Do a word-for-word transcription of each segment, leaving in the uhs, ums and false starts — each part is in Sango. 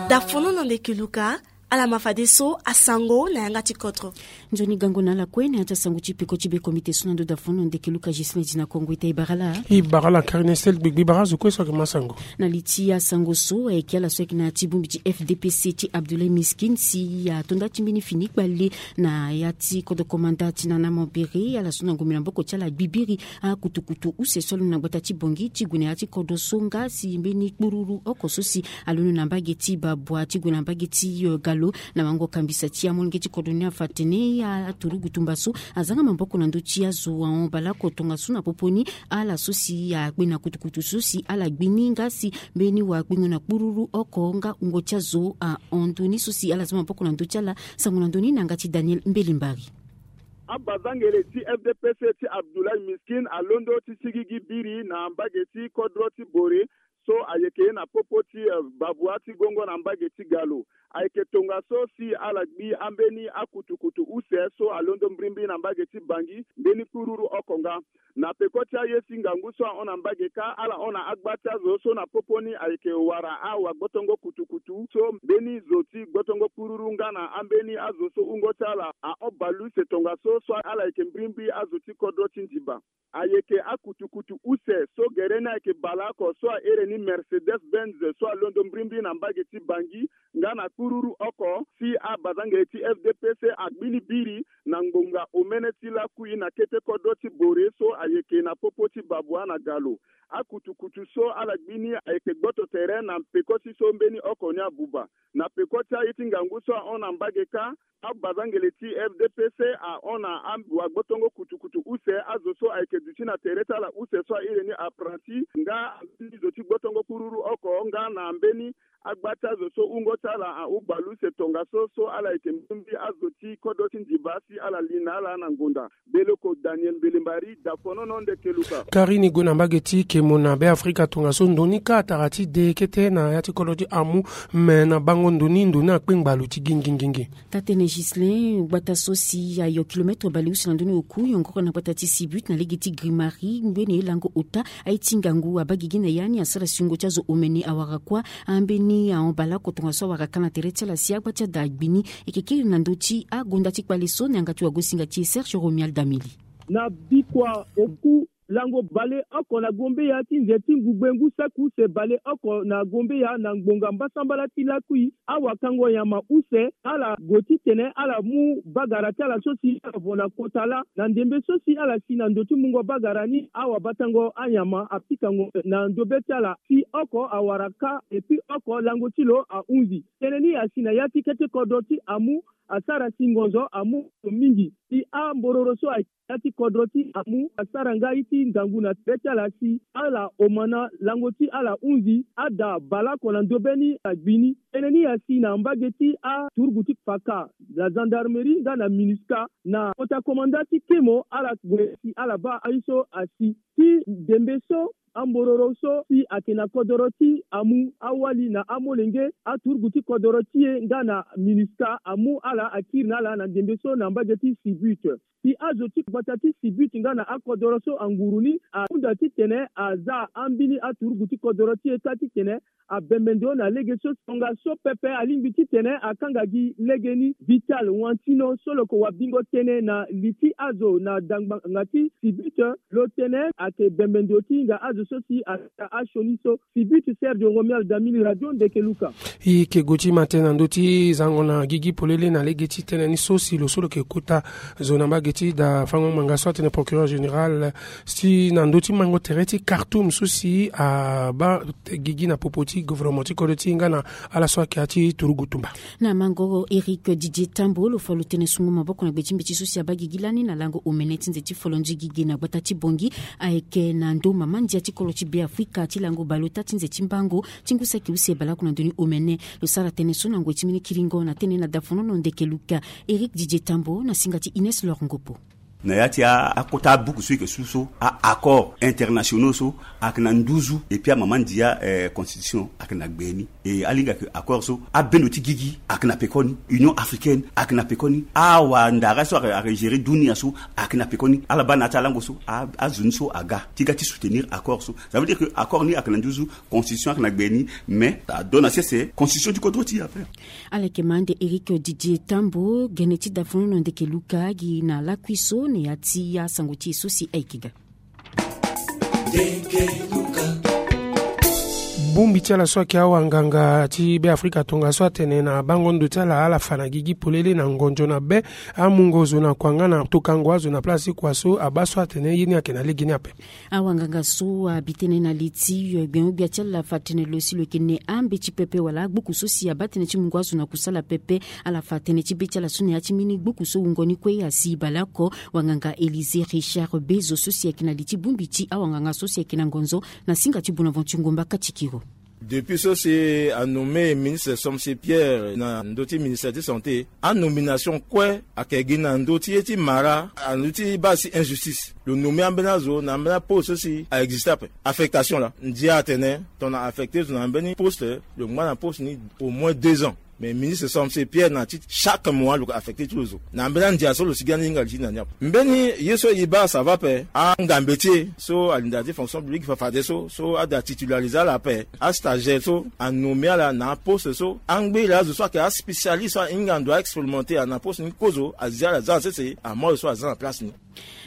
Dafono na ndeke luka. Ala ma fadeso asango na yanga ti kodro. Nzoni gango na ala kue na ya ti asango ti peko ti be komite so na ndo dafono ndeke luka Gislain Dina Kongo. Ita e bara la. E bara la Karinesel gbegbe bara zo kue so ayeke ma sango. Na li ti asango so ayeke ala so ayeke na ya ti bongbi ti F D P C ti Abdoulaye Miskin si ato nda ti mbeni fini kpale na ya ti kodro komanda ti Nana Mambéré, ala so na ngombe na maboko ti ala gbi biri akutukutu use so alondo na gbata ti Bangui ti gue na ya ti kodro so nga si mbeni kpururu oko so si alondo na mbage ti Babwa ti gue na mbage ti, eh, Galo. Na mango kambisa ti amolenge ti kodro ni afa atene aturugu tumba so azanga maboko na ndö ti azo ahon baleoko tongaso na popo ni ala so si akpe na kutukutu so si ala gbi ni nga si mbeni wakpengo na kpururu oko nga wungo ti azo ahon ndö ni so si ala za maboko na ndö ti ala. Sango na ndö ni na yanga ti Daniel Mbelimbari. Abazangele ti F D P C ti Abdoulaye Miskin alondo ti sigigi biri na mbage ti kodro ti Bore so ayeke na popo ti, eh, Babwa ti gongo na mbage ti Galo. Ayeke tongaso si ala gbi ambeni akutukutu use so alondo mbirimbiri na mbage ti Bangui, mbeni kpururu oko nga. Na peko ti aye ti ngangu so ahon na mbage kâ, ala hon na agba ti azo so na popo ni ayeke wara awagbotongo kutukutu so mbeni zo ti gbotongo kpururu nga na ambeni azo so wungo ti ala ahon baleuse tongaso so ala yeke mbirimbiri azo ti kodro ti Ndiba. Ayeke akutukutu use so gere ni ayeke baleoko so ahere ni Mercedes Benz so alondo mbirimbiri na mbage ti Bangui nga na kpururu oko si abazangele ti F D P C agbi ni biri na ngbonga omene ti lakui na kete kodro ti Bore so ayeke na popo ti Babwa na Galo. Akutukutu so ala gbi ni ayeke gboto tere na peko ti so mbeni oko ni abuba. Na peko ti aye ti ngangu so ahon na mbage kâ, abazangele ti F D P C ahon na awagbotongo kutukutu use, azo so ayeke duti na tere ti ala use so ahere ni apprenti nga ambeni zo ti gbotongo kpururu oko nga na ambeni agba ti azo so wungo ti ala ahon baleuse tongaso so ala yeke mbirimbiri azo ti kodro ti Ndiba si ala li na ala na ngonda. Beleko Daniel Mbelembari, Dafonono, ndeke luka. Kari ni gue na mbage ti Kemo na Beafrika tongaso ndo ni kâ atara ti de kete na ya ti kodro ti Amu, me na bango ndo ni ndo ni akpe ngbalu ti gingingingi. Taa-tënë Gislain, gbata so si ayo kilometre baleuse na ndö ni oku yongoro na gbata ti Sibut na lege ti Grimari, ngbene lango ota aye ti ngangu abaa gigi na ya ni asara si wungo ti azo omene awara kuâ. Ambeni ahon baleoko tongaso awara kâ na tere ti ala si agba ti ada agbi ni. E yeke kiri na ndö ti agonda ti kpale so na yanga ti wagosinga ti e Serge Romuald Damili. Na bikua oku lango baleoko na Gombeya ti nze ti ngugbe ngu saki use baleoko na Gombeya na ngbonga mbasambala ti lakui, awakango nyama use ala gue titene ala mu bagara ti ala so si ala vo na kota lâ. Na ndembe so si ala si na ndo ti mungo bagara ni, awabatango anyama apikango na ndobe ti ala si oko awara kâ, epui oko lango ti lo ahunzi. Tënë ni asi na ya ti kete kodro ti Amu, asara si ngonzo amu mingi. Si ambororo so ayeke na ya ti kodro ti Amu asara nga ye ti ngangu na tere ti ala si ala omana lango ti ala hunzi, ada baleoko na ndobe ni agbi ni. Tënë ni asi na mbage ti aturugu ti kpaka na gendarmerie nga na MINUSCA na kota komanda ti Kemo, ala gue si ala baa aye so asi. Ti ndembe so ambororo so si ayeke na kodoro ti Amu, awali na amolenge aturugu ti kodoro ti e nga na MINUSCA amu ala akiri na ala na ndembe so na mbage ti Sibut. Si azo ti gbata ti Sibut nga na akodoro so anguru ni ahunda titene aza ambeni aturugu ti kodoro ti e kâ titene abembe ndo na lege so. Tongaso pepe alingbi titene akanga gi legeni. Vital Wantino so lo yeke wabingo tënë na li ti azo na dangbanga ti Sibut, lo tene ayeke bembe ndo ti hinga azo so si asara asioni so. Sibut, Serge Romuald Damili, Radio Ndeke Luka. E yeke gue ti ma tënë na ndö ti zango na gigi polele na lege ti tënë ni so si lo so lo yeke kota zo na mbage ti da fango ngbanga so atene procureur général si na ndö ti mango tere ti Khartoum so si abaa gigi na popo ti gouvernement ti kodro ti e nga na ala so ayeke ya ti turugu tumba. Na mango Éric Didier Tambo, lo fa lo tene sungo maboko na gbe ti mbeti so si abaa gigi lani na lango omene ti nze ti folonzi gigi na gbata ti Bangui, ayeke na ndo mama ndia ti kolo ti Beafrika ti lango baleota ti nze ti mbango ti ngu saki use baleoko na ndoni omene. Lo sara tënë so na ngoi ti mbeni kiringo na tënë na dafonono Ndeke Luka. Éric Didier Tambo na singa ti Ines Lor Ngopo. Na ya ti akota abuku so eke su so a-accord internationaux so ayeke na nduzu, epui amama ndia constitution ayeke na gbe ni. E alingbi ayeke accord so abendo ti gigi ayeke na pekoni, union africaine ayeke na pekoni, awandara so ayeke gérer dunia so ayeke na pekoni. Ala baa na ya ti alango so azo ni so aga ti ga ti soutenir accord so. Ça veut dire que accord ni ayeke na nduzu, constitution ayeke na gbe ni. Mais ado na sese constitution ti kodro ti e ape. Ala yeke ma ande Eric Didier Tambo gene ti dafono na ndeke luka gi na lakui so na ya ti asango ti e so si ayeke ga. Bongbi ti ala so ayeke awanganga ti Beafrika tongaso atene na bango ndo ti ala ala fa na gigi polele na ngonzo na be, amungo zo na kua nga na tokango azo na place ti kua so abaa so atene ye ni ayeke na lege ni ape. Awanganga so abi tënë na li ti gbenyo-gbia ti ala fa tënë lo si lo yeke ne ambeti pepe wala agbuku so si abaa tënë ti mungo azo na kusala pepe. Ala fa tënë ti be ti ala so na ya ti mbeni gbuku so wungo ni kue asi baleoko. Wanganga Élysée Richard Bezo so si ayeke na li ti bongbi ti awanganga so si ayeke na ngonzo na singa ti Bonaventure Ngomba Katikiro. Depuis so si anommé ministre Somse Pierre na ndö ti ministère ti santé, anomination kue ayeke gi na ndö ti ye ti mara, na ndö ti baa si injustice. Lo nommé ambeni azo na ambeni aposte so si a existe ape. Affectation laa, ndia atene tongana affecté zo na mbeni poste, lo ngba na poste ni au moins deux ans. Mais ministre Somse Pierre na ti chaque mois lo yeke affecté ti lo zo na mbeni andia so lo si gi ande hinga li ti na ni ape. Mbeni ye so e baa ça va ape, angambe ti e so ali na da ti fonction publique fa fadeso so ada titularisé ala ape, astagiaire so anommé ala na aposte so, angbiri azo so ayeke aspécialiste so ahinga ndo a expérimenté na poste ni kozo, azi ala za na sese, amoyo so aza na place ni.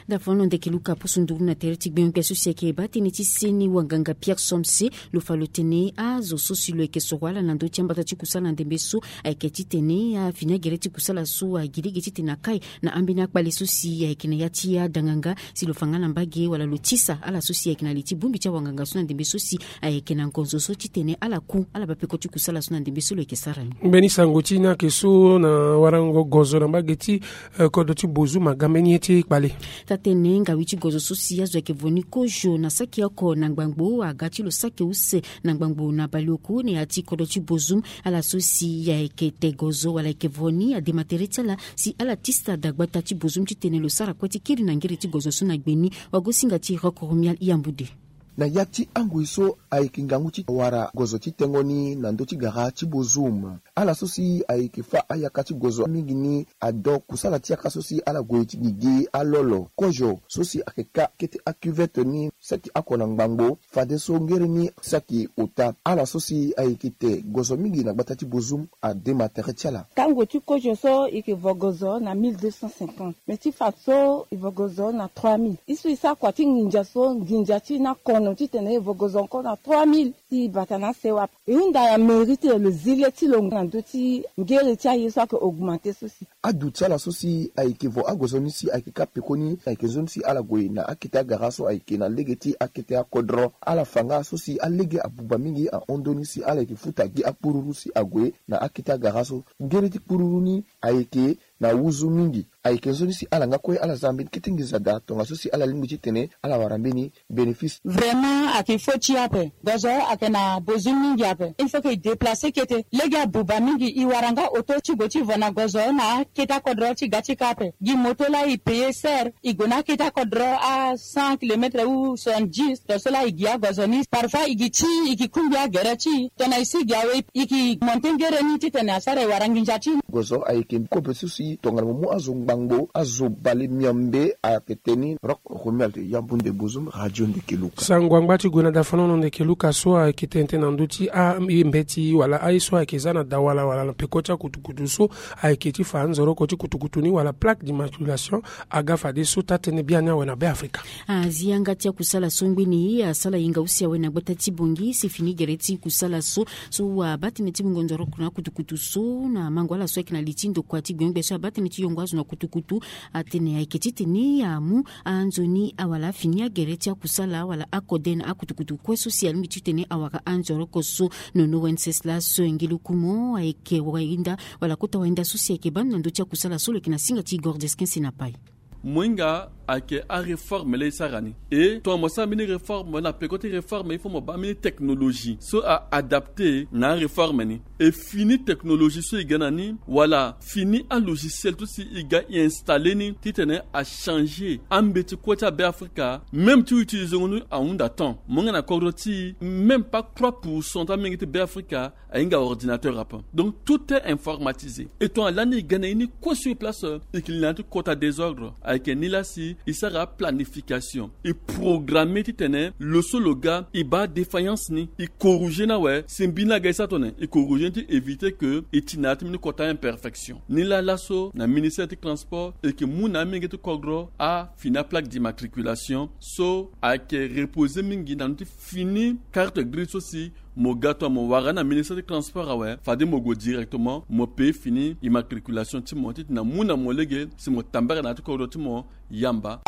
Dafono ndeke luka poso nduru na tere ti gbenyo-gbia so si ayeke baa tënë ti seni wanganga Pierre Somse, lo fa lo tene azo so si lo yeke soro ala na ndö ti ambata ti kusala na ndembe so ayeke titene afini agere ti kusala so agi lege titene akai na ambeni akpale so si ayeke na ya ti adanganga, si lo fa nga na mbage wala lo tisa ala so si ayeke na li ti bongbi ti awanganga so na ndembe so si ayeke na ngonzo so titene ala ku ala baa peko ti kusala so na ndembe so lo yeke sara ni. Mbeni sango ti ni ayeke so na warango gozo na mbage ti eh, kodro ti Bozoum aga mbeni ye ti kpale. Taa-tënë ngawi ti gozo so si azo ayeke vo ni kozo na saki oko na ngbangbo aga ti lo saki use na ngbangbo na baleoku na ya ti kodro ti Bozoum. Ala so si ayeke te gozo wala ayeke vo ni adema tere ti ala si ala tisa dagbata ti Bozoum titene lo sara kue ti kiri na ngere ti gozo so na gbe ni. Wagosinga ti Rock Romial Yambude. Na ya ti angoi so ayeke ngangu ti wara gozo ti tengo ni na ndö ti gara ti Bozoum. Ala so si ayeke fâ ayaka ti gozo mingi ni ado kusala ti yaka so si ala gue ti gigi alolo kozo so si ayeke ka kete acuvette ni saki oko na ngbangbo. Fadeso ngere ni saki ota. Ala so si ayeke te gozo mingi na gbata ti Bozoum adema tere ti ala. Tango ti kozo so e yeke vo gozo na mille deux cent cinquante, mais ti fa so e vo gozo na trois mille. E so e sara kua ti nginza so nginza ti e ni akono titene e vo gozo encore na trois mille. Ti bata na asewa ape. E hunda na mairie ti lo zi le ti lo na ndö ti ngere ti aye so ayeke augmenté so si. Aduti ala so si ayeke vo agozo ni si ayeke ka pekoni ayeke nzoni si ala gue na akete agara so ayeke na lege ti akete akodro. Ala fa nga so si alege abuba mingi ahon ndö ni si ala yeke futa gi akpururu si ague na akete agara so. Ngere ti kpururu ni ayeke na wuzu mingi. Ayeke nzoni si ala nga kue ala za mbeni kete nginza daa tongaso si ala lingbi titene ala wara mbeni bénéfice. Vraiment ayeke fo ti e ape. Gozo ayeke na besoin mingi ape. Il faut que e déplacer kete. Lege abuba mingi, e wara nga auto ti gue ti vo na gozo na akete akodro ti ga ti ka ape. Gi moto laa e payer cher. E gue na akete akodro a cent kilomètres ou soixante-dix. Tongaso laa e gi agozo ni. Parfois e gi ti e, e ke kungbi agere ti e. Tongana e si e gi awe, e ke monté ngere ni titene asara e wara nginza ti e. Gozo ayeke kobe so si tongana mo mu azo ngbangbo, azo bale miombe ayeke te ni. Rock Romuald Yambunde Bozoum, Radio Ndeke Luka. Sango angba ti gue na dafanono Ndeke Luka so ayeke tene tënë na ndö ti ambeti wala aye so ayeke za na dawala wala na peko ti akutukutu so ayeke ti fa anzoroko ti kutukutu ni wala plaque d'immatriculation aga fadeso taa-tënë biani awe na Beafrika. Azi yanga ti akusala so ngbeni asala yenga use awe na gbata ti Bangui si fini gere ti kusala so, so abaa tënë ti mungo nzoroko na akutukutu so na mango ala so ayeke na li ti ndokua ti gbenyo-gbia so abaa tënë ti yongo azo na kutukutu. Atene ayeke titene amu anzoni awala afini agere ti akusala wala akode na akutukutu kue so si alingbi titene awara anzoroko so. Nono Wenceslas Ngilukumo ayeke wainda wala kota wainda so si ayeke baa ndo na ndö ti akusala so lo yeke na singa ti Igor Desquin Senapai. Mohinga ayeke aréforme laa e sara ni. E tongana mo sara mbeni réforme na peko ti réforme il faut mo baa mbeni technologie so a adapte na aréforme ni. E fini technologie so e ga na ni wala fini alogiciel ti so e ga e installe ni titene achangé ambeti kue ti abeafrika. Même ti utilizengo ni ahunda temps mo nga na kodro ti même pas trois pourcent ti amenge ti beafrika ahinga ordinateur ape. Donc tout est informatisé. Et tongana lani e ga na ye ni kue sur place, e ke li na ya ti kota désordre. Ayeke ni laa si e sara planification, e programme titene lo so lo ga e baa défaillance ni e corriger ni awe. Si mbi ni aga e sara tongana e corriger ni ti éviter ke e ti na ya ti mbeni kota imperfection. Ni laa laso na ministère ti transport e ke mu na amenge ti kodro afini aplaque d'immatriculation so ayeke reposer mingi na ndö ti fini carte grise so si mo ga tongana mo wara na ministère ti transport awe fade mo gue directement mo paye fini immatriculation ti mo titene amu na mo lege si mo tambara na ya ti kodro ti mo. Yamba.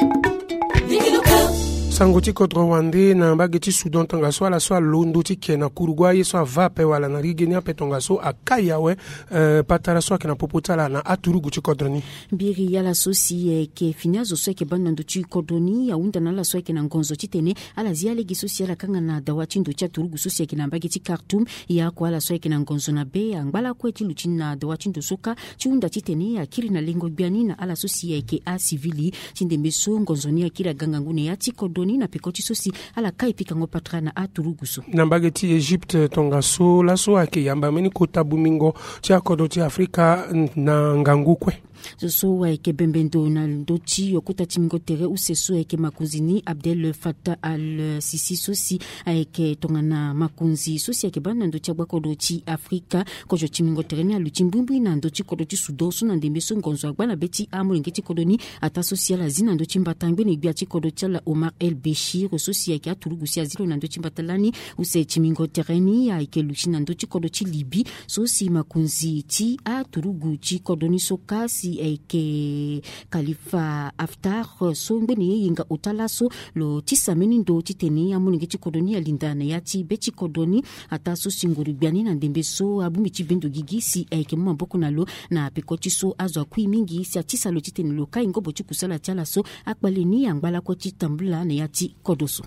Sango ti kodro wande na mbage ti Soudan tongaso ala so alondo ti ke na kurugu aye so ava ape wala na lege ni ape tongaso akai awe. Eh, patara so ayeke na popo ti ala na aturugu ti kodro ni. Mbiri ala so si ayeke fini azo so ayeke baa na ndo ti kodro ni ahunda na ala so ayeke na ngonzo titene ala zi alege so si ala kanga na dawa ti ndo ti aturugu so si ayeke na mbage ti Khartoum. E ako ala so ayeke na ngonzo na be angba lakue ti luti na dawa ti ndo so kâ ti hunda titene akiri na lengo gbia ni na ala so si ayeke asivili. Ti ndembe so ngonzo ni akiri aga ngangu na ya ti kodro ni na peko ti so si ala kai pikango patara na aturugu so. Na mbage ti Egypte tongaso laso ayeke yamba mbeni kota bongbingo ti akodro ti Afrika na ngangu kue. Zo so ayeke bembe ndo na ndö ti kota timingo tere use so ayeke makonzi ni Abdel Fattah al-Sisi so si ayeke tongana makonzi so si ayeke baa na ndö ti agbakodro ti Afrika. Kozo timingo tere ni aluti mbrimbri na ndö ti kodro ti Soudan so na ndembe so ngonzo agba na be ti amolenge ti kodro ni ataa so si ala zi na ndö ti mbata ngbene gbia ti kodro ti ala Omar El Béchir so si ayeke aturugu si azi lo na ndö ti mbata lani. Use timingo tere ni ayeke luti na ndö ti kodro ti Libye so si makonzi ti aturugu ti kodro ni so kâ si ayeke Khalifa Haftar so ngbene ye hinga ota laso lo tisa mbeni ndo titene amolenge ti kodro ni alinda na ya ti be ti kodro ni. Ataa so si nguru gbia ni na ndembe so abongbi ti bendo gigi si ayeke mu maboko na lo na peko ti so azo akui mingi si atisa lo titene lo kai ngobo ti kusala ti ala so akpale ni angba lakue ti tambula na ya ti kodro so.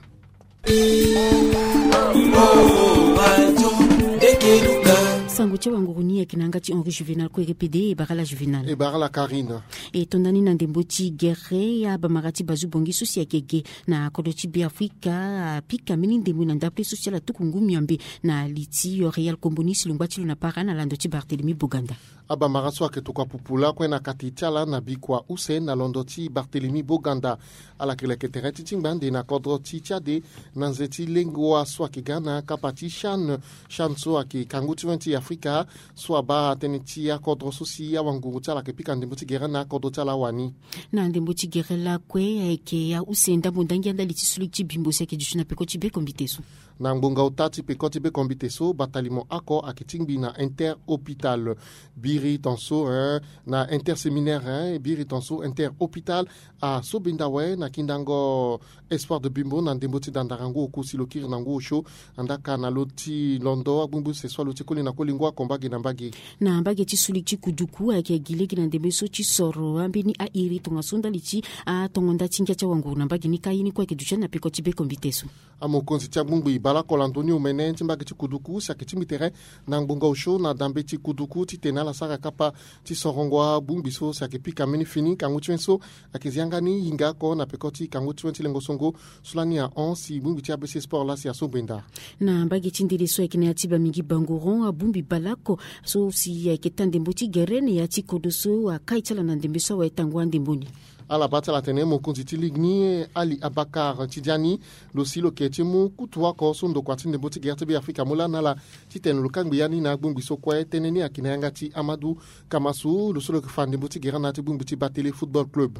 Sango ti awanguru ni ayeke na yanga ti Henri Juvenal kue R P D e bara la Juvenal. E bara la Karine. E tonda ni na ndembo ti gere abamara ti bazu bongi so si ayeke ge na kodro ti Beafrika apika mbeni ndembo na ndapre so si ala tuku ngu miambe na li ti Real Kombo ni si lo ngba ti lo na para na lando ti Barthélemy Boganda. Abamara so ayeke tokua pupu lakue na kati ti ala na bikua use na londo ti Barthélemy Boganda. Ala yeke leke tere ti tingba ande na kodro ti Tchad na nze ti lengo wa so ayeke ga na kapa ti CHAN. CHAN so ayeke kangu ti wen ti Afrika so abaa tënë ti akodro so si awanguru ti ala ayeke pika ndembo ti gere na akodro ti ala wani. Na ndembo ti gere lakue ayeke ya use ndambo ndangia ndali ti suli ti bimbo si ayeke duti na peko ti bekombite so. Na ngbonga ota ti peko ti bekombite so batalimo oko ayeke tingbi na interhôpital biri tonso, eh, na interséminaire, eh, biri tonso interhôpital. Asobenda awe na kindango espoir de bimbo na ndembo ti dandara ngu oku si lo kiri na ngu osio. Andaka na lo ti londo agbungbu se so alo ti koli na koli ngu ako mbage na mbage. Na mbage ti suli ti kuduku ayeke gi lege na ndembe so ti soro ambeni airi tongaso ndali ti atongo nda ti ngia ti awanguru na mbage ni kâ ye ni kue ayeke duti na peko ti bekombite so. Amokonzi ti agbongbi baleoko lando ni omene ti mbage ti kuduku si ayeke tingbi tere na ngbonga osio na dambe ti kuduku titene ala sara kapa ti sorongo agbongbi so si ayeke pika mbeni fini ngangu ti wen so ayeke zi yanga ni hinga oko na peko ti kangu ti wen ti lengo songo. So lani ahon si bongbi ti A B C Sport laa si aso gbenda. Na mbage ti ndele so ayeke na ya ti Bamingui Bangoron abongbi baleoko so si ayeke taa ndembo ti gere na ya ti kodro so akai ti ala na ndembe so awe tango andembo ni. Ala baa ti ala atene mokonzi ti ligue ni Ali Abakar Tidiani lo si lo yeke ti mu kutu oko so ndokua ti ndembo ti gere ti Beafrika amu lani na ala titene lo kangbi ya ni na agbongbi so kue. Tënë ni ayeke na yanga ti Amadou Kamasu lo so lo yeke fa ndembo ti gere na ya ti bongbi ti Batele Football Club.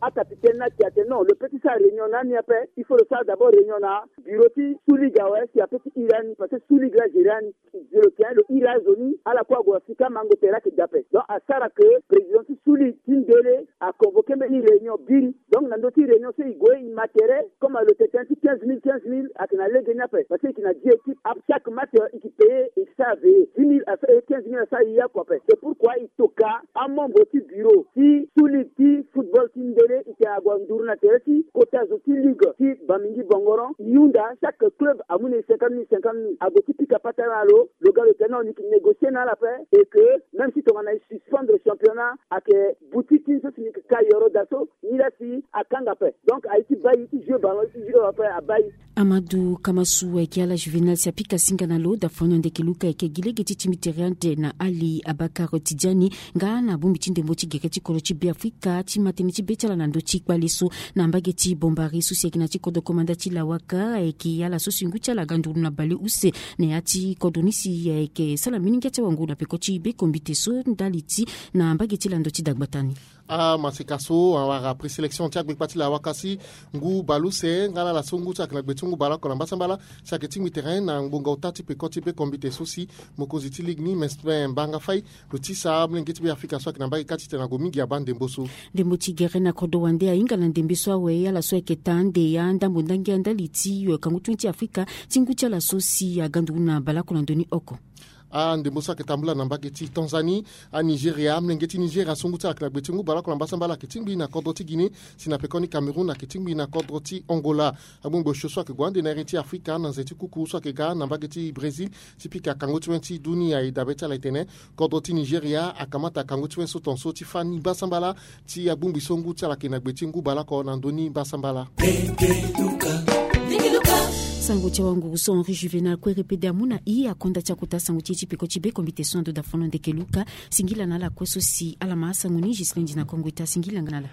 Acapitaine ni ake ate non, lo peut ti sara réunion na ni ape. Il faut lo sara d'abord réunion na bureau ti sous ligue awe si ape ti iri ani parce que sous ligue la gérer ani. Zo lo tene lo iri azo ni ala kue ague na sika mango tere ake ga ape. Donc asara ke président ti sous ligue ti ndele aconvoqué mbeni réunion biri. Donc na ndö ti réunion so e gue e ma tere comme lo tene ti quinze mille quinze mille ake na lege ni ape parce que e yeke na dix équipe. Chaque match e yeke payer, e yeke sara veiller dix mille à quinze mille asara e ye oko ape. C'est pourquoi e toka amembre ti bureau ti sous ligue ti football ti ndele e yeke Ague anduru na tere ti kota zo ti ligue ti Bamingui Bongoron, e hunda chaque club amu na e cinquante mille cinquante mille, ague ti pika patara na lo. Lo ga lo tene na lo ni yeke négocier na ala ape, et que même si tongana e suspendre championnat, ayeke boutique ti ni so si ni yeke ka yoro daa so, ni laa si akanga ape. Donc aye ti baa e ti jouer ballon, e ti jouer ape, abaa e. Amadou Kamasu ayeke ala Juvénal si apika singa na lo. Dafono ndeke luka ayeke gi lege ti tingbi tere ande na Ali Abakar Tidiani nga na bongbi ti ndembo ti gere ti kodro ti Beafrika ti ma tënë ti be ti ala na ndö ti kpale so. Na mbage ti Bombari so si ayeke na ya ti kodro komanda ti Lawaka, ayeke ala so si ngu ti ala aga nduru na bale use na ya ti kodro ni si ayeke sara mingi ti awango na peko ti be kombite so ndali ti na mbage ti lando ti dagbata ni. Amaseka so awara présélection ti agbekpa ti Lawaka si ngu bale use nga na ala so ngu ti ala ayeke na gbe ti ngu baleoko na mbasambala si ayeke tingbi tere na ngbonga ota ti peko ti be kombite so si mokonzi ti ligue ni Mesmin Mbanga Faye lo tisa amolenge ti Beafrika so ayeke na mbage kâ ti tene ague mingi abaa ndembo so. Ndembo ti gere na kodro wande ahinga na ndembe so awe ala so ayeke taa ande ya ndambo ndangia ndali ti kangu ti wen ti Afrika ti ngu ti ala so si aga nduru na baleoko na ndö ni oko. Andembo so ayeke tambula na mbage ti Tanzanie, aNigeria, amolenge ti Nigeria so ngu ti ala ayeke na gbe ti ngu baleoko na mbasambala ayeke tingbi na kodro ti Guinée, si na pekoni Cameroun ayeke tingbi na kodro ti Angola. Agbongbi osio so ayeke gue ande na iri ti Afrika na nze ti kuku so ayeke ga na mbage ti Brésil ti pika kangu ti wen ti dunia. E dabe ti ala e tene kodro ti Nigeria akamata kangu ti wen so tongaso ti fâ ni mbasambala ti agbongbi so ngu ti ala ayeke na gbe ti ngu baleoko na ndö ni mbasambala. Sango ti awanguru so Henri Juvénal Kouéré pede amu na e akonda ti akota sango ti e ti peko ti be kombite so na ndo dafono ndeke luka. Singila na ala kue so si ala ma asango ni. Giseline Dina Kongo Ita, singila nga na ala.